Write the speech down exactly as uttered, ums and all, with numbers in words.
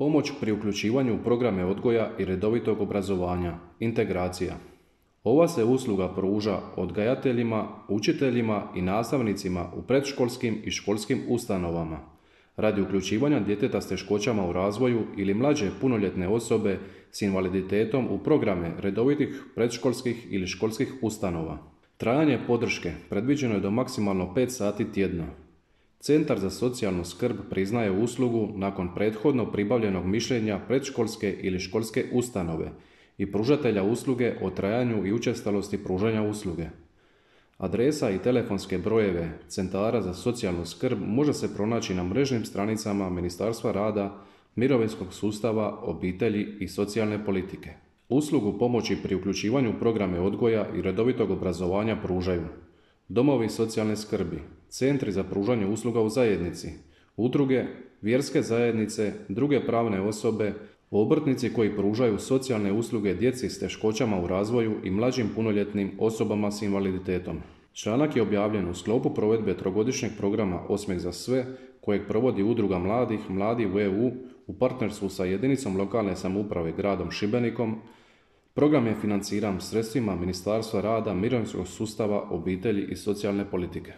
Pomoć pri uključivanju u programe odgoja i redovitog obrazovanja, integracija. Ova se usluga pruža odgajateljima, učiteljima i nastavnicima u predškolskim i školskim ustanovama radi uključivanja djeteta s teškoćama u razvoju ili mlađe punoljetne osobe s invaliditetom u programe redovitih predškolskih ili školskih ustanova. Trajanje podrške predviđeno je do maksimalno pet sati tjedno. Centar za socijalnu skrb priznaje uslugu nakon prethodno pribavljenog mišljenja predškolske ili školske ustanove i pružatelja usluge o trajanju i učestalosti pružanja usluge. Adresa i telefonske brojeve centara za socijalnu skrb može se pronaći na mrežnim stranicama Ministarstva rada, mirovinskog sustava, obitelji i socijalne politike. Uslugu pomoći pri uključivanju u programe odgoja i redovitog obrazovanja pružaju domovi socijalne skrbi, centri za pružanje usluga u zajednici, udruge, vjerske zajednice, druge pravne osobe, obrtnici koji pružaju socijalne usluge djeci s teškoćama u razvoju i mlađim punoljetnim osobama s invaliditetom. Članak je objavljen u sklopu provedbe trogodišnjeg programa Osmijeh za sve, kojeg provodi Udruga mladih Mladi u E U u partnerstvu sa jedinicom lokalne samouprave gradom Šibenikom. Program je financiran sredstvima Ministarstva rada, mirovinskog sustava, obitelji i socijalne politike.